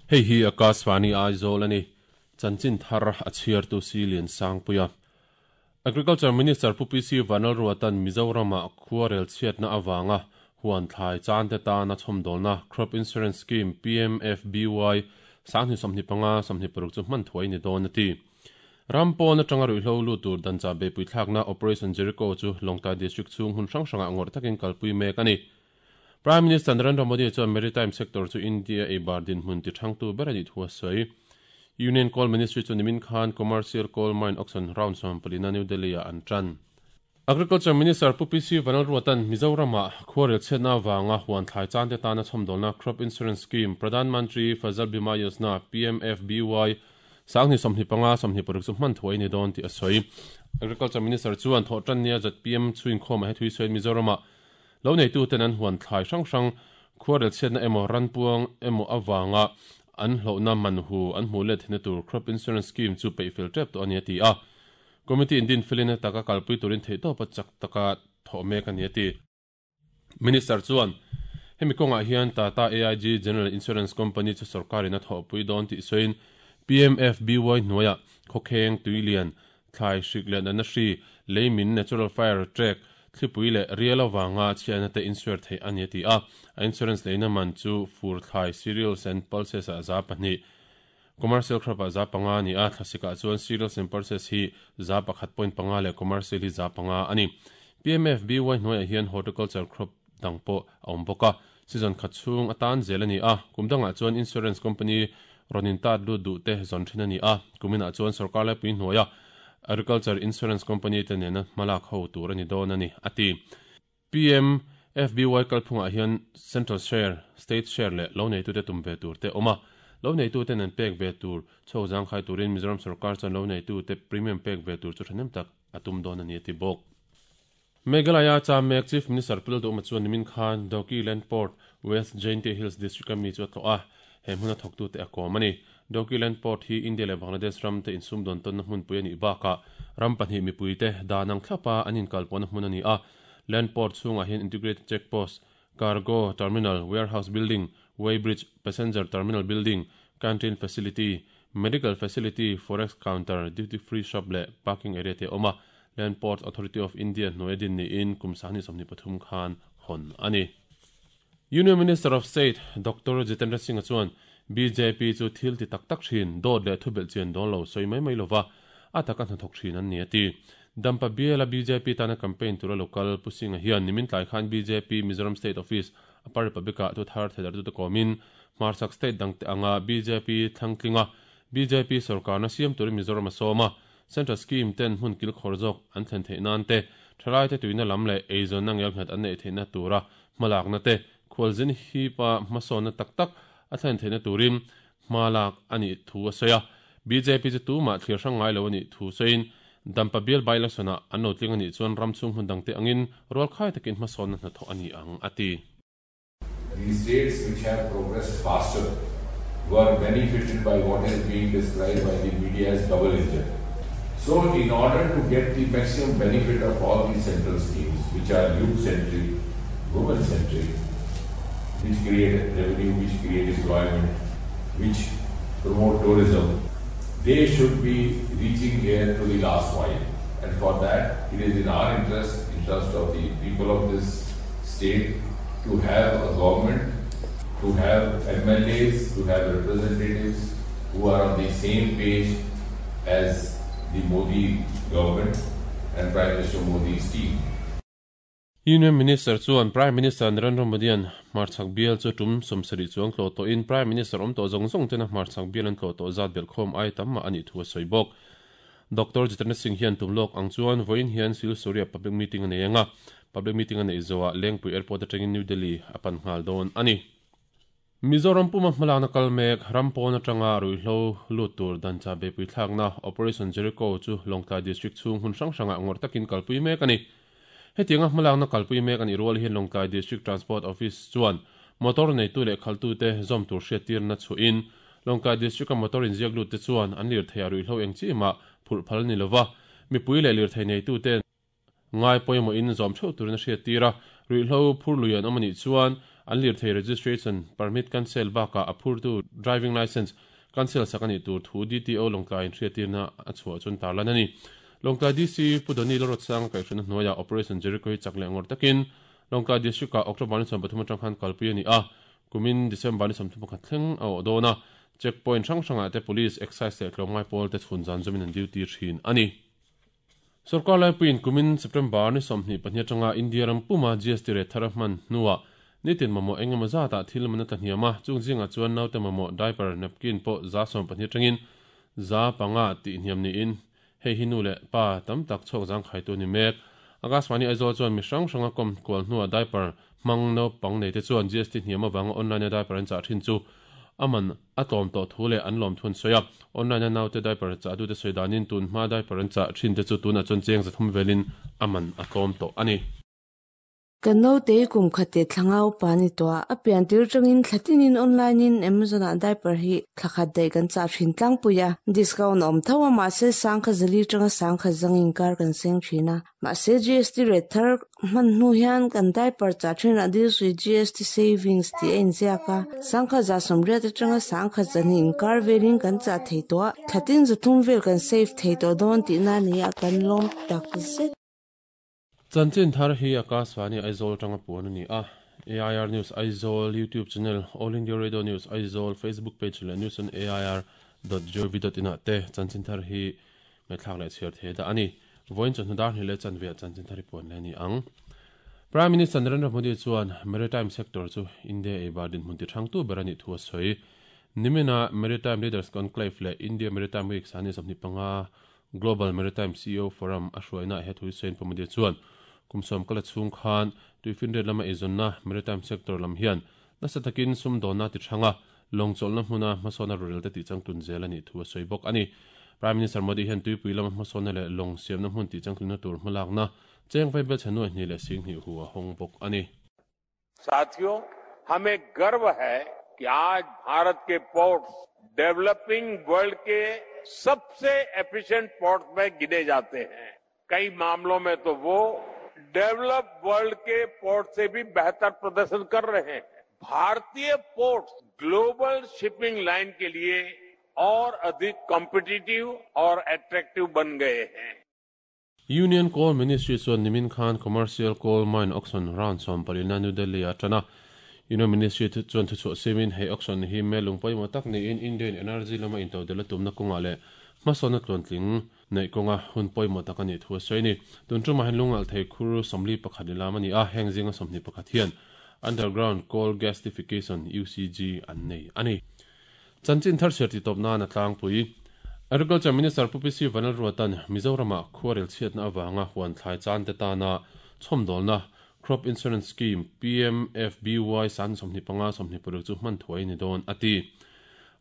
Hei hi Akashvani Aizawl a ni. Chanchin thar a chhiartu si Lian Sangpuia. Agriculture Minister Pu PC Vanlalruata'n Mizoram-ah khuarel chhiatna avanga huan thlai chan te tana chhawmdawlna Crop Insurance Scheme, PMFBY, 2025, 26 chu hman thuai ni dawn a ti. Ram pawn atanga ruihhlo lut tur danchah beihpui thlakna Operation Jericho chu Lawngtlai District chhung hun hrang hrangah ngawrh takin kalpui mek a ni. Prime Minister Narendra Modi chuan Maritime sector chu India eibar dinhmun ti thangtu ber a nih thu a sawi. Union Coal Ministry chu nimin khan Commercial Coal Mine Auction round 14 a New Delhi-ah an tan. Agriculture Minister Pu PC Vanlalruata'n Mizoram-ah khuarel chhiatna avanga huan thlai chan te tana chhawmdawlna Crop Insurance Scheme, Pradhan Mantri Fasal Bima Yojana, PMFBY, 2025, 26 chu hman thuai a ni dawn tih a sawi. Agriculture Minister chuan thawhtannia zpm chhuinkhawmah he thui sawiin Mizoram-ah Lo neituten an huan thlai hrang hrang khuarel chhiatna emaw ranpuang emaw avanga an hlauhna man hu an hmuh let theihna tur Crop Insurance Scheme chu peih fel tep tawh a ni a ti a. Committee in din felin a taka kalpui turin theihtawpa chak taka thawh mek a ni a ti. Minister chuan hemi kawngah hian Tata AIG General Insurance Company chu sorkarin a thawhpui dawn tih sawiin PMFBY hnuaiah khawkheng, tuilian, Thlai hrik leh natna hri, lei min, natural fire, trek, thlipui leh rial avanga chhiahna te insure theih a ni a ti a. A insurance leina man chu fur thlai, cereals and pulses ah 2%, commercial crop ah 5% a ni a, thlasikah chuan cereals and pulses hi 1.5% leh commercial hi 5% a ni. PMFBY hnuaiah hian horticulture crop dang pawh a awm bawk a, season khat chhung atan zel a ni a, kum dangah chuan insurance company rawn intat lut duh te zawn thin a ni a, kuminah chuan sorkar laipui hnuaia agriculture insurance company te nena hmalak ho tur a ni dawn a ni, a ti. PMFBY kalphungah hian central share, state share leh lo neitute tum ve tur te awm a, lo neitute nen pek ve tur chho zangkhai turin Mizoram sorkar chuan lo neitute premium pek ve tur chu thahnem tak a tum dawn a ni, a ti bawk. Meghalaya cham mek Chief Minister Pu Lalduhma chuan nimin khan Dawki Land Port, West Jaintia Hills District a mi chu a tlawh a, he hmuna thawktute a kawm a ni. Dawki Land Port hi India leh Bangladesh ram te insumdawn tawnna hmunpui a nih bakah ram pahnih mipuite dan ang thlapa an inkalpawhna hmun a ni a. Land Port chhungah hian Integrated Check Post, Cargo Terminal, Warehouse Building, Weigh Bridge, Passenger Terminal Building, Canteen Facility, Medical Facility, Forex Counter, Duty Free Shop leh Parking Area te a awm a. Land Ports Authority of India hnuaia din niin kum 2023 khan hawn a ni. Union Minister of State Doctor Jitendra Singh-a chuan bjp chu thil ti tak tak thin, dawt leh thubelh chian dawn lo sawi mai mai lova a taka hnathawk thin an ni a ti. Dampa biala bjp tana campaign tura lokal Pu Singh-a hian nimin tlai khan bjp Mizoram State Office Upper Republic-ah thu thar theidartute kawmin hmarchhak state dangte anga bjp thlangtlinga bjp sorkarna siam turin Mizoram a sawm a, Central Scheme ten hmun kilkhawr zawk an thlen theih nan te, thalaite tuina lam leh eizawnna ngelnghet an neih theihna tura hmalakna te, khualzin hipa hmasawnna tak tak a thlen theihna turin hma lak a nih thu a sawi a. Bjp chu tumah thlir hrang ngai lo a nih thu sawiin, Dampa bial by-election-ah an lo tling a nih chuan ram chhung hmun dangte angin rualkhai takin hmasawnna hnathawh a ni ang, a ti. The states which have progressed faster were benefited by what is being described by the media as double engine. So in order to get the maximum benefit of all these central schemes, which are youth-centric, women-centric, which create revenue, which create employment, which promote tourism, they should be reaching here to the last mile. And for that, it is in our interest, interest of the people of this state, to have a government, to have MLAs, to have representatives who are on the same page as the Modi government and Prime Minister Modi's team. Union Minister chuan Prime Minister Narendra Modi-a'n hmarchhak bial chu tum 70 chuang tlawh tawhin Prime Minister awm tawh zawng zawng tena hmarchhak bial an tlawh tawh zat belhkhawm ai tam mah a nih thu a sawi bawk. Doctor Jitendra Singh hian tum lawk ang chuan vawiin hian Silsuria public meeting a nei ang a, public meeting a neih zawhah Lengpui Airport atangin New Delhi a pan nghal dawn a ni. Mizoram puma hmalakna kal mek, ram pawn atanga ruihhlo lut tur dancha beipui thlakna Operation Jericho chu Lawngtlai District chhung hmun hrang hrangah ngawrh takin kalpui mek a ni. Hetianga hmalakna kalpui mek a nih rual hian Lawngtlai District Transport Office chuan motor neitu leh khaltute zawm tur hriattirna chhuahin Lawngtlai District-a motor inziak lutte chuan an lirthei a ruihhlo eng chi mah phurh phal a ni lova, mipui leh lirthei neitute. ngai pawimawhin zawm theuh turin a hriattir a, ruihhlo phur lui an awm a nih chuan an lirthei registration permit cancel bakah a phurtu driving licence cancel sak a nih tur thu DTO Lawngtlai in hriattirna a chhuah chuan tarlan a ni. Lawngtlai DC Pu Donny Lalruatsanga kaihhruaina hnuaiah Operation Jericho hi chak leh ngawr takin Lawngtlai District-ah October ni 13 atang khan kalpui a ni a, kumin December ni 31 thleng a awh dawn a, check point hrang hrangah te Police, Excise leh tlawmngai pawl te chhun zan zumin an duty thin a ni. Sorkar laipuiin kumin September ni 22 atanga India ram puma GST rate thar a hman hnuah nitin mamawh eng emaw zatah thil man a tla hniam a, chung zingah chuan naute mamawh diaper, napkin pawh 12 atangin 500 tih hniam niin hei hi nu leh pa tam tak chhuak zangkhaitu a ni mek. Akashvani Aizawl chuan mi hrang hranga kawm kual hnuah diaper hmang naupang neite chuan GST hniam avanga online-a diaper an chah thin chu a man a tlawm tawh thu leh an lawm thu an sawi a. Online-a naute diaper chah dute sawi danin tun hma diaper an chah thin te chu tunah chuan cheng 300 velin a man a tlawm tawh a ni. Ka naute kum khat leh thla nga upa a ni tawh a, a pian tir atangin thla tinin online in Amazon ah diaper hi thla khat daih kan chah thin tlangpui a, discount a awm tho a mahse sangkhat zali atanga sangkhat zang inkar kan seng thin a, mahse GST rate thar hman hnu hian kan diaper chah thin ah deals with GST savings tih a inziak a, sangkhat 80% atanga sangkhat 200 inkar velin kan chah thei tawh a, thla tin 300 vel kan save thei tawh dawn tihna a ni a, kan lawm takzet. Chanchin thar hi Akashvani Aizawl atanga puan a ni a, AIR News Aizawl YouTube channel, All India Radio News Aizawl Facebook page leh news on air dot gov dot in ah te chanchin thar hi ngaihthlak leh chhiar thei dah a ni. Vawiin chawhnu dar hnih leh chanve ah chanchin thar hi puan leh a ni ang. Prime Minister Narendra Modi chuan Maritime sector chu India eibar dinhmun tihrangtu ber a nih thu a sawi. Nimina Maritime Leaders Conclave leh India Maritime Week sani 25 Global Maritime CEO Forum a hruainaah he thu Saint Pamudi chuan kum sawm kala chhung khan tuifinriat lama eizawnna maritime sector lam hian nasa takin sumdawnna ti hranga lawng chawlhna hmuna hmasawnna rurelte tih changtlun zel a nih thu a sawi bawk a ni. Prime Minister Modi hian tuipui lama hmasawnna leh lawng siamna hmun tih changtlunna tur hmalakna cheng vaibel chhe nuai hnih leh sing hnih hu a hawng bawk a ni. साथियों हमें गर्व है कि आज भारत के ports developing world के सबसे efficient ports में गिने जाते हैं कई मामलों में तो वो डेवलप वर्ल्ड के पोर्ट से भी बेहतर प्रदर्शन कर रहे हैं भारतीय ports global shipping line के लिए और अधिक कॉम्पिटिटिव और अट्रैक्टिव बन गए हैं Union Coal Ministry chuan nimin khan Commercial Coal Mine Auction round sawmpalina New Delhi-ah a tan a. Union Ministry chuan thuchhuah siamin hei auction hi mel lung pawimawh tak niin Indian energy lama intodelh a tumna kawngah leh hmasawnna tluantling neih kawnga hun pawimawh tak a nih thu a sawi a ni. Tun tumah hian lungalh thei khur 41 ni lam a ni a, heng zinga 21 hian Underground Coal Gasification, UCG, an nei a ni. Chanchin thar chhiar titawp nan a tlangpui. Agriculture Minister Pu PC Vanlalruata'n Mizoramah khuarel chhiatna avanga huan thlai chan te tana chhawmdawlna Crop Insurance Scheme, PMFBY, san 25 26 chu hman thuai ni dawn a ti.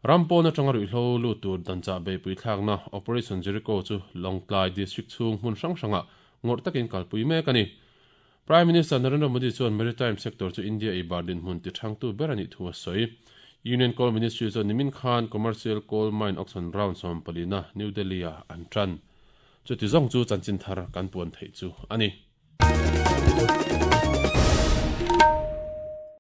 Ram pawn atanga ruihhlo lut tur danchah beihpui thlakna Operation Jericho chu Lawngtlai District chhung hmun hrang hrangah ngawrh takin kalpui mek a ni. Prime Minister Narendra Modi chuan maritime sector chu India eibar dinhmun ti thangtu ber a nih thu a sawi. Union Coal Ministry chuan nimin khan Commercial Coal Mine Auction Round 14 na New Delhi-ah an tan. Chuti zawng chu chanchin thar kan puan theih chu a ni.